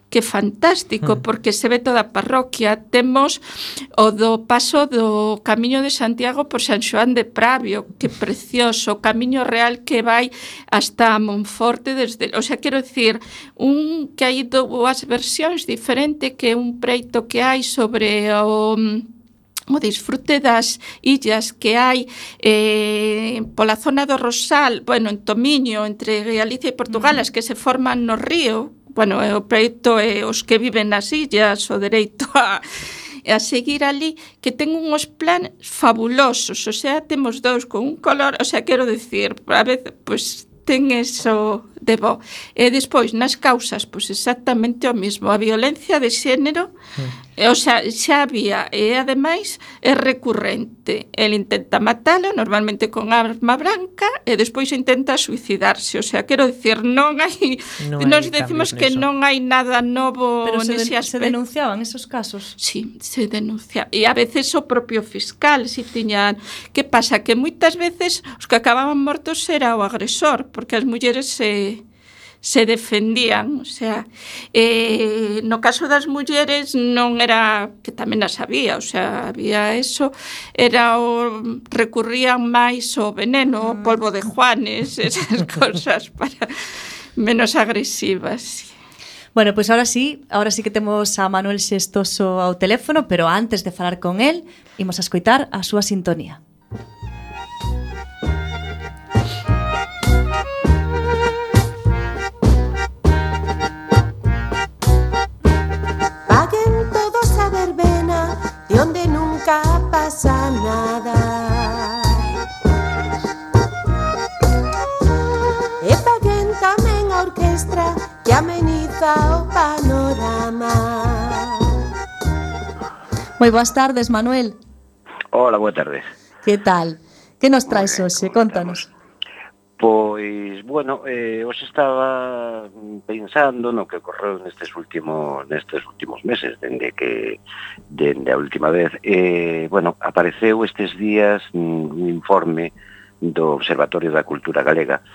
que fantástico, porque se ve toda a parroquia. Temos o do paso do Camiño de Santiago por San Xoán de Pravio, que precioso, o Camiño Real que vai hasta Monforte, desde, o sea, quero dicir, un que hai dúas versións diferente, que un preito que hai sobre o o disfrute das illas que hai eh, pola zona do Rosal, bueno, en Tomiño, entre Galicia e Portugal, as que se forman no río. Bueno, o preito é os que viven nas illas, o dereito a, a seguir ali, que ten uns planes fabulosos, o sea, temos dous con un color, o sea, quero dicir, a veces, pois, ten eso de bo. E despois, nas causas, pois exactamente o mismo, a violencia de xénero, mm. o sea, xa había, e ademais é recurrente. El intenta matalo, normalmente con arma branca, e despois intenta suicidarse. O sea, quero dicir, non hai, non nos hai decimos que neso. Non hai nada novo. Pero se, nese de, se denunciaban esos casos? Sí, se denuncia. E a veces o propio fiscal, si tiñan... Que pasa? Que moitas veces os que acababan mortos era o agresor, porque as mulleres se... se defendían, o sea, eh, no caso das mulleres non era, que tamén as había, o sea, había eso, era o, recurrían máis ao veneno, o polvo de Juanes, esas cosas para menos agresivas. Bueno, pois pues ahora sí, ahora sí que temos a Manuel Xestoso ao teléfono, pero antes de falar con el, imos a escoitar a súa sintonía. Donde nunca pasa nada. E paguen tamén a orquestra que ameniza o panorama. Moi boas tardes, Manuel. Hola, boa tarde. Que tal? Que nos traes hoxe? Contanos. Pois, bueno, eh, os estaba pensando no que ocorreu nestes últimos nestes últimos meses, dende que dende a última vez. Eh, bueno, apareceu estes días un informe do Observatorio da Cultura Galega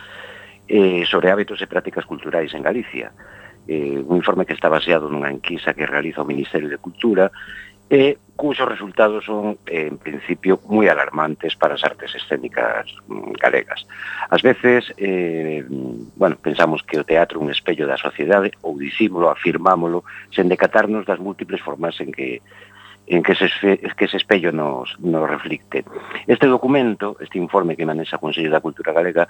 eh, sobre hábitos e prácticas culturais en Galicia. Eh, un informe que está baseado nunha enquisa que realiza o Ministerio de Cultura e cuxos resultados son, en principio, moi alarmantes para as artes escénicas galegas. Ás veces, eh, bueno, pensamos que o teatro é un espello da sociedade, ou dicímolo, afirmámolo, sen decatarnos das múltiples formas en que en que ese, que ese espello nos, nos reflicte. Este documento, este informe que manexa o Consello da Cultura Galega,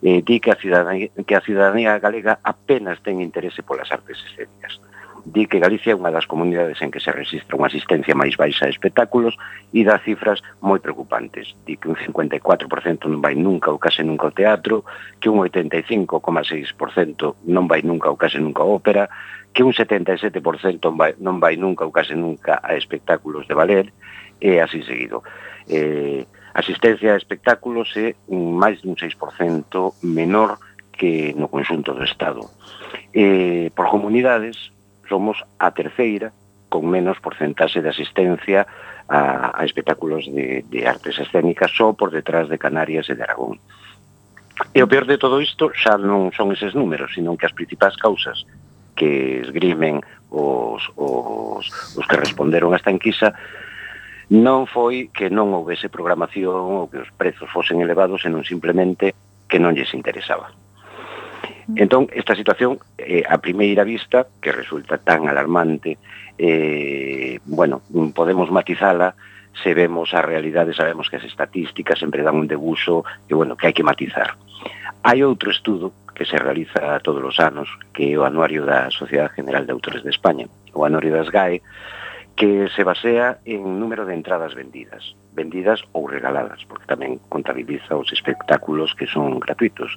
eh, di que a, ciudadanía, que a ciudadanía galega apenas ten interese polas artes escénicas. Di que Galicia é unha das comunidades en que se registra unha asistencia máis baixa a espectáculos e dá cifras moi preocupantes. Di que un cincuenta e catro por cento non vai nunca ou case nunca ao teatro, que un oitenta e cinco coma seis por cento non vai nunca ou case nunca á ópera, que un setenta e sete por cento non vai, non vai nunca ou case nunca a espectáculos de ballet, e así seguido. Eh, asistencia a espectáculos é máis dun seis por cento menor que no conxunto do Estado. Eh, por comunidades, somos a terceira con menos porcentaxe de asistencia a, a espectáculos de, de artes escénicas, só por detrás de Canarias e de Aragón. E o peor de todo isto xa non son eses números, sino que as principais causas que esgrimen os, os, os que responderon a esta enquisa non foi que non houvese programación ou que os prezos fosen elevados, senón simplemente que non lles interesaba. Entón, esta situación, eh, a primeira vista, que resulta tan alarmante, eh, bueno, podemos matizala se vemos a realidade, sabemos que as estatísticas sempre dan un debuxo que, bueno, que hai que matizar. Hai outro estudo que se realiza todos os anos, que é o anuario da Sociedade General de Autores de España, o anuario das G A E, que se basea en número de entradas vendidas, vendidas ou regaladas, porque tamén contabiliza os espectáculos que son gratuitos.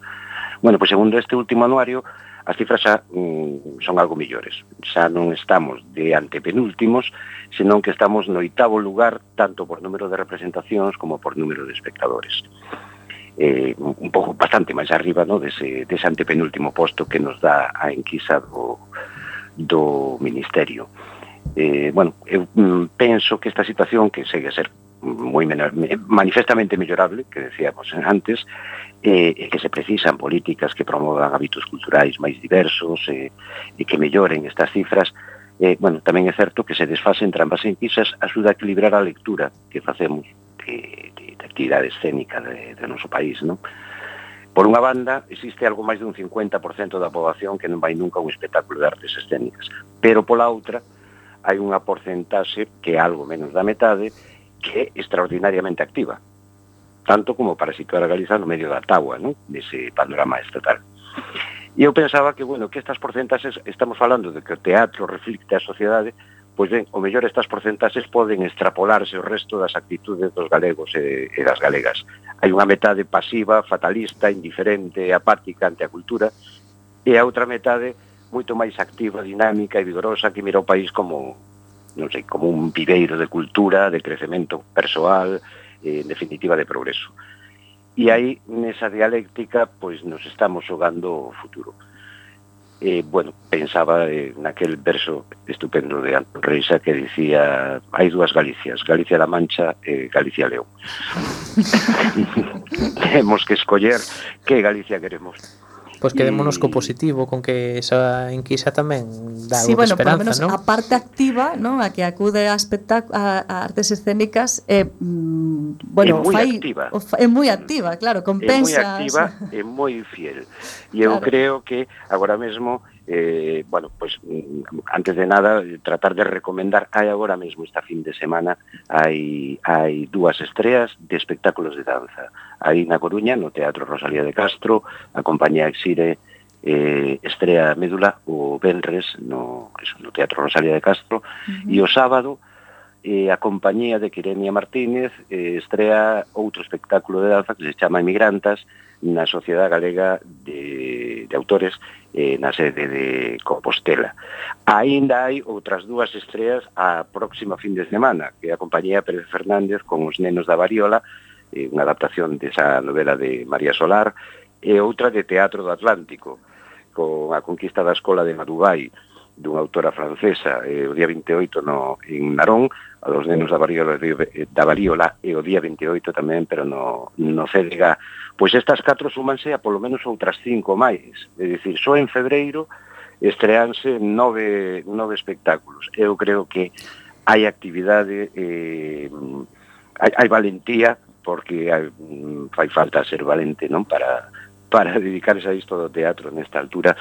Bueno, pois segundo este último anuario, as cifras xa mm, son algo millores. Xa non estamos de antepenúltimos, senón que estamos no oitavo lugar, tanto por número de representacións como por número de espectadores. Eh, un pouco bastante máis arriba, no, dese, dese antepenúltimo posto que nos dá a enquisa do, do Ministerio. Eh, bueno, eu mm, penso que esta situación, que segue a ser moi menor, manifestamente mellorable, que decíamos antes, e eh, que se precisan políticas que promovan hábitos culturais máis diversos e eh, que melloren estas cifras. Eh, bueno, tamén é certo que se desfase entre ambas enquisas axuda a equilibrar a lectura que facemos de, de, de actividade escénica de, de noso país, non? Por unha banda, existe algo máis dun cincuenta por cento da poboación que non vai nunca a un espectáculo de artes escénicas, pero pola outra, hai unha porcentaxe que é algo menos da metade que é extraordinariamente activa, tanto como para situar a Galiza no medio da táboa, ¿no?, dese panorama estatal. E eu pensaba que, bueno, que estas porcentaxes, estamos falando de que o teatro reflicte a sociedade, pois ben, o mellor estas porcentaxes poden extrapolarse o resto das actitudes dos galegos e, e das galegas. Hai unha metade pasiva, fatalista, indiferente, apática ante a cultura, e a outra metade moito máis activa, dinámica e vigorosa, que mira o país como, non sei, como un viveiro de cultura, de crecemento persoal, eh, en definitiva de progreso. E aí, nesa dialéctica, pois nos estamos xogando o futuro. Eh, bueno, pensaba eh, naquel verso estupendo de Antón Reixa que dicía: hai dúas Galicias, Galicia-La Mancha e Galicia-León. Temos que escoller que Galicia queremos. Pois quedémonos co positivo, con que esa enquisa tamén dá sí, algo bueno, de esperanza, por lo menos ¿no? A parte activa, ¿no?, a que acude a, espectac- a, a artes escénicas, eh, mm, bueno, é moi fai, activa. o fa, é moi activa, claro, compensa. É moi activa e moi fiel. E eu Claro. creo que agora mesmo, eh, bueno, pues antes de nada, tratar de recomendar, hai agora mesmo esta fin de semana, hai, hai dúas estreas de espectáculos de danza. Aí na Coruña, no Teatro Rosalía de Castro, a compañía Exire eh, estrea Médula o venres no, eso, no Teatro Rosalía de Castro, uh-huh. E o sábado eh, a compañía de Quirenia Martínez eh, estrea outro espectáculo de danza que se chama Emigrantas na Sociedade Galega de, de Autores eh, na sede de Compostela. Aínda hai outras dúas estreas a próxima fin de semana, que é a compañía Pérez Fernández con Os nenos da variola, eh, unha adaptación desa novela de María Solar, e outra de Teatro do Atlántico, con A conquista da escola de Madubai, dunha autora francesa, eh, o día vinte e oito no, en Narón, a Los nenos da variola, da variola, e o día vinte e oito tamén, pero no, no C D G. Pois estas catro súmanse a polo menos outras cinco máis. É dicir, só en febreiro estreanse nove, nove espectáculos. Eu creo que hai actividade, eh, hai, hai valentía, porque hai, fai falta ser valente, non, para... para dedicarse a isto do teatro nesta altura.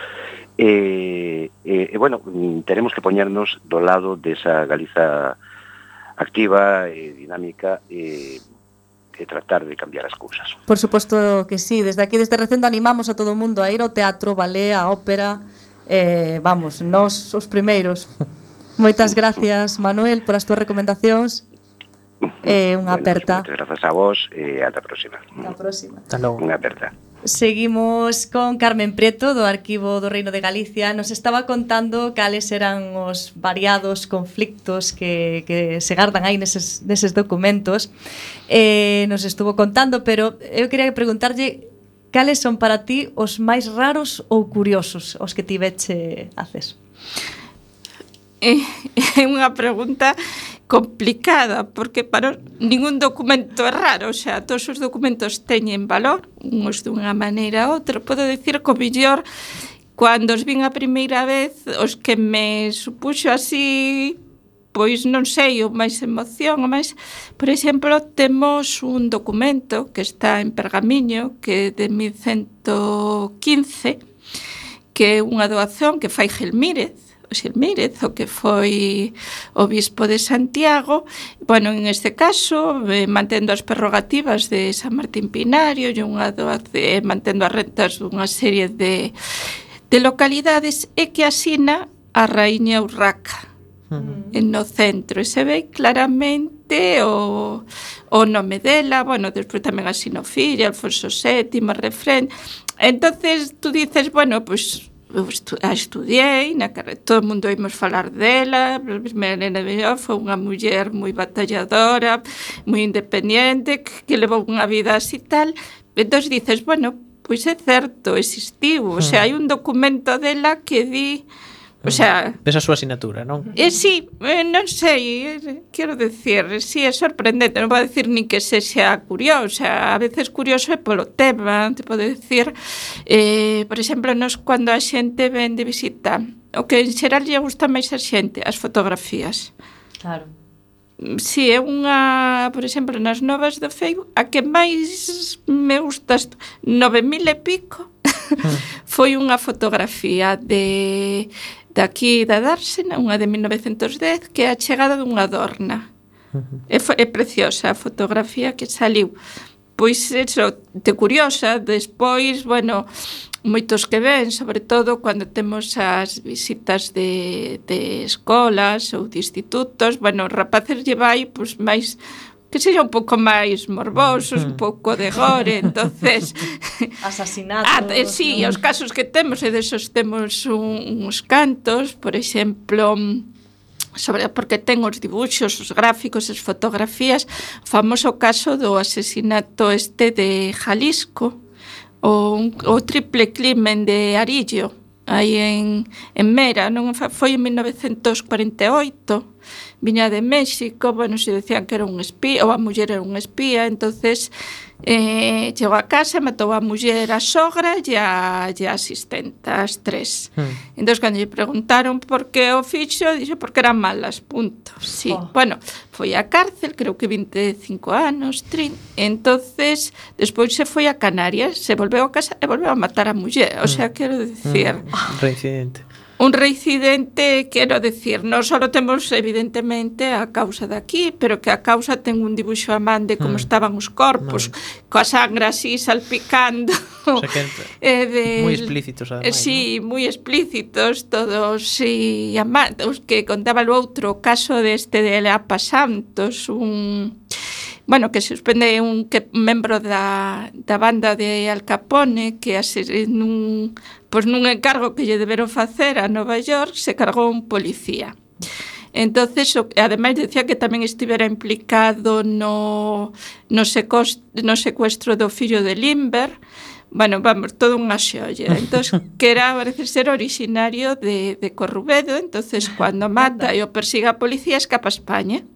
E, e, e bueno, teremos que poñernos do lado desa Galiza activa e dinámica e, e tratar de cambiar as cousas. Por suposto que sí, desde aquí, desde Recendo, animamos a todo o mundo a ir ao teatro, ballet, a ópera, eh, vamos, nós os primeiros. Moitas gracias, Manuel, por as túas recomendacións. Eh, unha Bueno, aperta. moitas grazas a vos e ata a próxima. Ata a próxima. Hasta logo. Unha aperta. Seguimos con Carmen Prieto do Arquivo do Reino de Galicia. Nos estaba contando cales eran os variados conflictos que, que se gardan aí neses, neses documentos. Eh, nos estuvo contando, pero eu quería preguntarlle cales son para ti os máis raros ou curiosos os que tiveche acceso. É unha pregunta complicada, porque para ningún documento é raro, o sea, todos os documentos teñen valor, uns dunha maneira ou outra. Podo dicir que o mellor, cando os vin a primeira vez, os que me supuxo así, pois non sei, o máis emoción, o máis... Por exemplo, temos un documento que está en pergamiño, que é de mil ciento quince, que é unha doación que fai Gelmírez, o Xilmírez, o que foi obispo de Santiago. Bueno, en este caso, eh, mantendo as prerrogativas de San Martín Pinario e unha doación, eh, mantendo as rentas dunha serie de, de localidades, e que asina a Raíña Urraca uh-huh. en no centro, e se ve claramente o, o nome dela. Bueno, despois tamén asina o fillo, Alfonso sétimo, Refrén. Entonces, tú dices, bueno, pois... Pues, eu estu a estudiei na carreira, todo o mundo oímos falar dela. Melena Mellor foi unha muller moi batalladora, moi independente, que, que levou unha vida así tal. Entón dices, bueno, pois é certo, existiu, o sea, hai un documento dela que di, o sea... Ves a súa asignatura, non? Eh, sí, eh, non sei, eh, quero decir, sí, é sorprendente, non vou decir ni que se xa curioso, a veces curioso é polo tema, te podo decir, eh, por exemplo, nos cando a xente ven de visita, o que en xeral lle gusta máis a xente, as fotografías. Claro. Si, é unha, por exemplo, nas novas do Facebook, a que máis me gusta, nove mil e pico, foi unha fotografía de... daqui da Dársena, unha de mil novecentos dez, que é a chegada dunha adorna. Uh-huh. É, é preciosa a fotografía que saliu. Pois, eso, de curiosa, despois, bueno, moitos que ven, sobre todo cando temos as visitas de, de escolas ou de institutos, bueno, os rapaces lle vai, pois, máis... que seja un pouco máis morbosos, un pouco de gore, entonces... Asasinatos... Ah, eh, sí, ¿no? Os casos que temos, e desos temos un, uns cantos, por exemplo, sobre porque ten os dibuxos, os gráficos, as fotografías, o famoso caso do asesinato este de Jalisco, o, o triple crimen de Arillo, aí en, en Mera, non foi en mil novecentos cuarenta e oito, viña de México, bueno, se decían que era un espía, ou a muller era un espía, entonces eh, chegou a casa, matou a muller, a sogra e a, e a asistenta, as tres. Hmm. Entón, cando lle preguntaron por que o fixo, dixo porque eran malas, punto. Sí, oh. Bueno, foi á cárcel, creo que vinte e cinco anos, trinta, entonces, despois se foi a Canarias, se volveu a casa e volveu a matar a muller, o sea, quero dicir... Hmm. Reincidente. Un reincidente, quero decir, non só temos evidentemente a causa daqui, pero que a causa ten un dibuixo a man de como mm. estaban os corpos, no. Coa sangra así salpicando. O sea que eh, de, moi explícitos, ademais. Sí, ¿no? moi explícitos, todos, sí, a man, os que contaba o outro caso deste de Leapa Santos, un... Bueno, que suspende un que membro da, da banda de Al Capone que ases, nun, pois nun encargo que lle deberon facer a Nova York se cargou un policía. Entonces, o, ademais decía que tamén estivera implicado no, no, secost, no secuestro do fillo de Limber. Bueno, vamos, todo unha xolla. Entonces, que era, parece ser, originario de, de Corrubedo. Entonces, cando mata e o persiga a policía, escapa a España.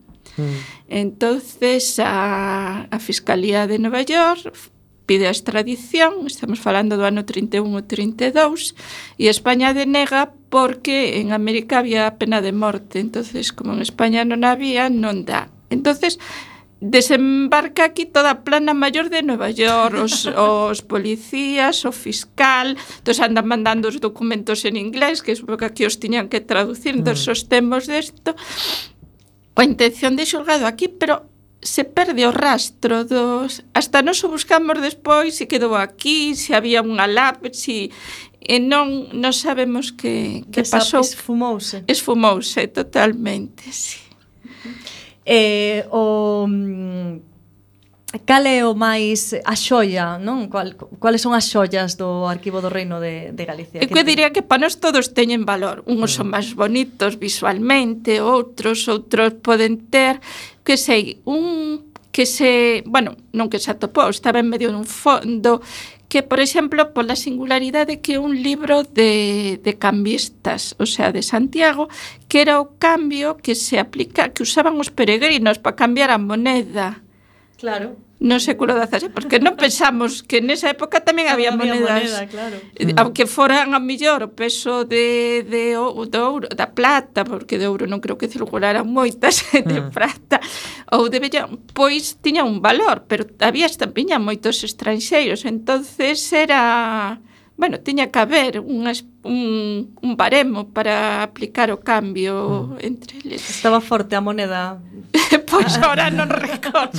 Entonces a, a Fiscalía de Nova York pide a extradición, estamos falando do ano trinta e un ou trinta e dous, e España denega porque en América había pena de morte, entonces como en España non había, non dá. Entonces desembarca aquí toda a plana maior de Nova York, os, os policías, o fiscal, entón andan mandando os documentos en inglés, que é porque aquí os tiñan que traducir, entón os temos desto. coa intención de xulgado aquí, pero se perde o rastro dos... Hasta nos o buscamos despois se quedou aquí, se había unha lab, se... E non, non sabemos que, que Desa- pasou. Esfumouse. Esfumouse totalmente, sí. Eh, o... mm, Cal é o máis a xoia, non? Cual, cuáles son as xoias do Arquivo do Reino de, de Galicia? Eu que diría que para nós todos teñen valor. Uns son máis bonitos visualmente, outros, outros poden ter, que sei, un que se, bueno, non que se atopou, estaba en medio dun fondo, que, por exemplo, pola singularidade que é un libro de, de cambistas, o sea, de Santiago, que era o cambio que se aplica, que usaban os peregrinos para cambiar a moneda. Claro. No século dezasete, porque non pensamos que nesa época tamén había, Había monedas, moneda, claro. eh, aunque foran a mellor o peso de, de, o- do ouro, da plata, porque de ouro non creo que circularan moitas, de prata, ou de vellón, pois tiña un valor, pero había tamén moitos estranxeiros, entonces era... Bueno, tiña que haber un, un, un baremo para aplicar o cambio mm. entre eles. Estaba forte a moneda. Pois ahora non recordo.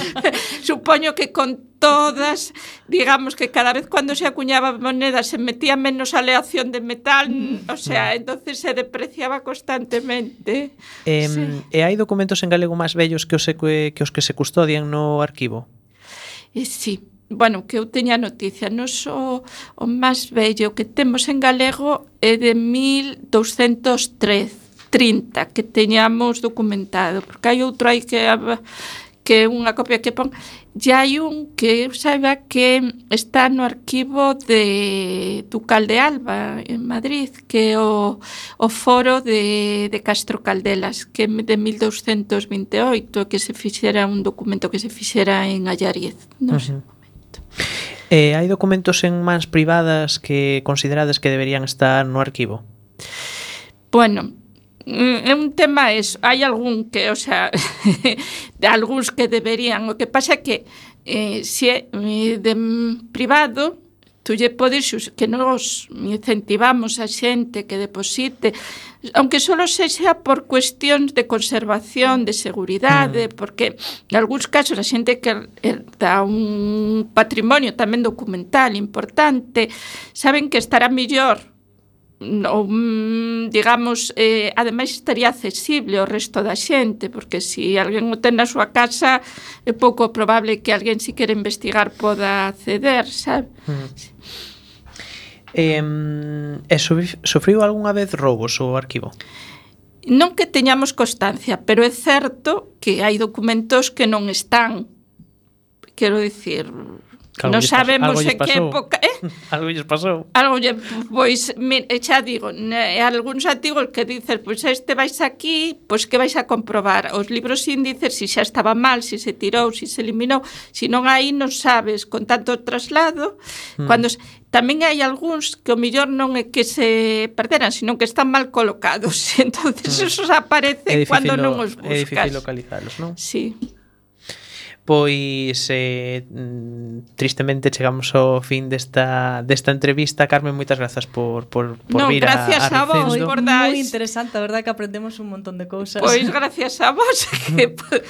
Supoño que con todas, digamos que cada vez cando se acuñaba moneda se metía menos aleación de metal, o sea, entonces se depreciaba constantemente. Eh, Sí. E hai documentos en galego máis vellos que os, que, que os que se custodian no arquivo? E sí, bueno, que eu teña noticia, nos o, o máis vello que temos en galego é de mil douscentos trece, trinta, que teñamos documentado, porque hai outro aí que que é unha copia que pon, e hai un que eu saiba que está no arquivo de Ducal de Alba en Madrid, que é o, o foro de, de Castro Caldelas, que é de mil douscentos vinte e oito, que se fixera un documento que se fixera en Allariz, non sei. Uh-huh. Eh, hai documentos en mans privadas que considerades que deberían estar no arquivo? Bueno, é un tema eso. Hai algún que, o sea, de algúns que deberían. O que pasa é que eh, se é eh, de privado, tú lle podes que nos incentivamos a xente que deposite, aunque solo sexa por cuestións de conservación, de seguridade, mm. porque en algúns casos a xente que dá un patrimonio tamén documental importante, saben que estará mellor, ou, digamos, eh, ademais estaría accesible ao resto da xente, porque se alguén o ten na súa casa é pouco probable que alguén si quere investigar poda acceder, sabe? Mm. Eh, e sufriu algunha vez roubos o arquivo? Non que teñamos constancia, pero é certo que hai documentos que non están, quero dicir, Algo non sabemos en que pasou. época, eh? Algo lles pasou. Algo lle, pois, me, xa digo, ne, algúns artigos que dices, pois este vais aquí, pois que vais a comprobar os libros índices, si xa estaba mal, si se tirou, si se eliminou, si non aí non sabes, con tanto traslado, mm. cando tamén hai algúns que o mellor non é que se perderan, sino que están mal colocados, entonces mm. esos aparecen cando non os buscas. É difícil localizalos, non? Sí. Pois eh, tristemente chegamos ao fin desta, desta entrevista. Carmen, moitas grazas por, por, por no, vir a, gracias a, a vos, Recendo. por Moi interesante, a verdade que aprendemos un montón de cousas. Pois gracias a vos que por,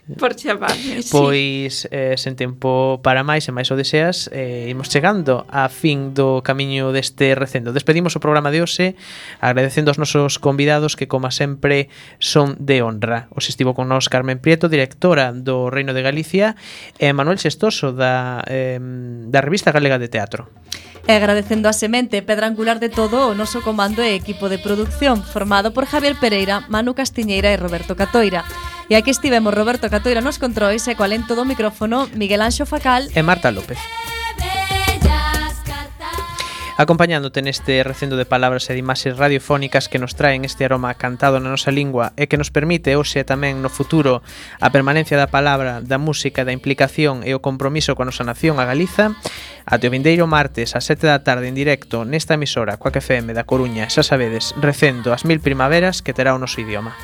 por chamarme. Pois eh, sen tempo para máis e máis o deseas, eh, imos chegando a fin do camiño deste recendo. Despedimos o programa de hoxe agradecendo aos nosos convidados que, como sempre, son de honra. Os estivo con nós Carmen Prieto, directora do Reino de Galicia, e Manuel Xestoso da, eh, da Revista Galega de Teatro. E agradecendo a semente, pedra angular de todo o noso comando e equipo de produción, formado por Javier Pereira, Manu Castiñeira e Roberto Catoira. E aquí estivemos Roberto Catoira nos controis e coa lento do micrófono Miguel Anxo Facal e Marta López. Acompañándote neste recendo de palabras e de imaxes radiofónicas que nos traen este aroma cantado na nosa lingua e que nos permite hoxe tamén no futuro a permanencia da palabra, da música, da implicación e o compromiso coa nosa nación, a Galiza. Até o vindeiro martes ás sete da tarde en directo nesta emisora Coac F M da Coruña, xa sabedes, recendo as mil primaveras que terá o noso idioma.